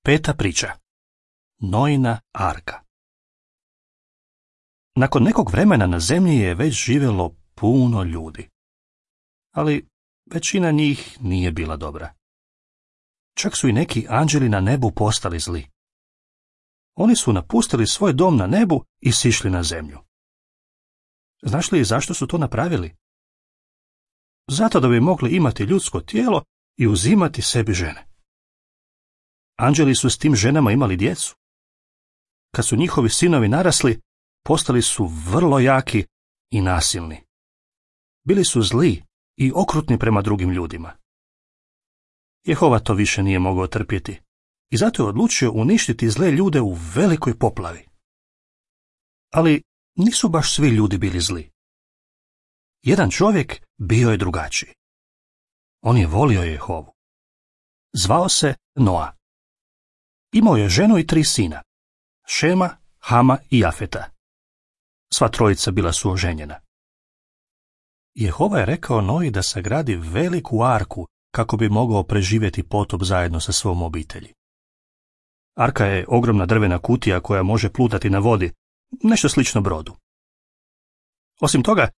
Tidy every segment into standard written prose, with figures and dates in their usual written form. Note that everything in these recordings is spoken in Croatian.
Peta priča. Noina arka. Nakon nekog vremena na zemlji je već živjelo puno ljudi. Ali većina njih nije bila dobra. Čak su i neki anđeli na nebu postali zli. Oni su napustili svoj dom na nebu i sišli na zemlju. Znaš li zašto su to napravili? Zato da bi mogli imati ljudsko tijelo i uzimati sebi žene. Anđeli su s tim ženama imali djecu. Kad su njihovi sinovi narasli, postali su vrlo jaki i nasilni. Bili su zli i okrutni prema drugim ljudima. Jehova to više nije mogao trpjeti i zato je odlučio uništiti zle ljude u velikoj poplavi. Ali nisu baš svi ljudi bili zli. Jedan čovjek bio je drugačiji. On je volio Jehovu. Zvao se Noa. Imao je ženu i 3 sina, Šema, Hama i Jafeta. Sva trojica bila su oženjena. Jehova je rekao Noji da sagradi veliku arku kako bi mogao preživjeti potop zajedno sa svom obitelji. Arka je ogromna drvena kutija koja može plutati na vodi, nešto slično brodu. Osim toga,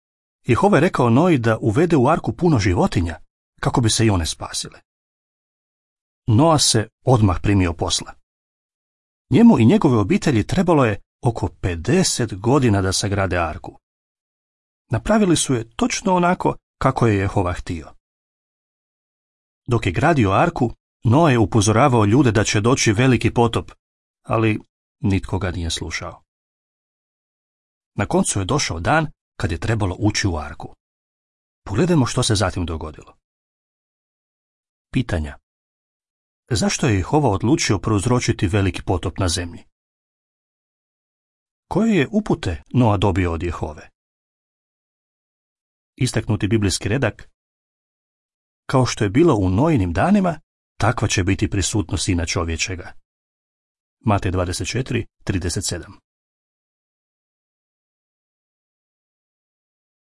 Jehova je rekao Noji da uvede u arku puno životinja kako bi se i one spasile. Noa se odmah primio posla. Njemu i njegove obitelji trebalo je oko 50 godina da sagrade arku. Napravili su je točno onako kako je Jehova htio. Dok je gradio arku, Noa je upozoravao ljude da će doći veliki potop, ali nitko ga nije slušao. Na koncu je došao dan kad je trebalo ući u arku. Pogledajmo što se zatim dogodilo. Pitanja. Zašto je Jehova odlučio prouzročiti veliki potop na zemlji? Koje je upute Noa dobio od Jehove? Istaknuti biblijski redak. Kao što je bilo u Nojinim danima, takva će biti prisutnost Sina čovječega. Matej 24:37.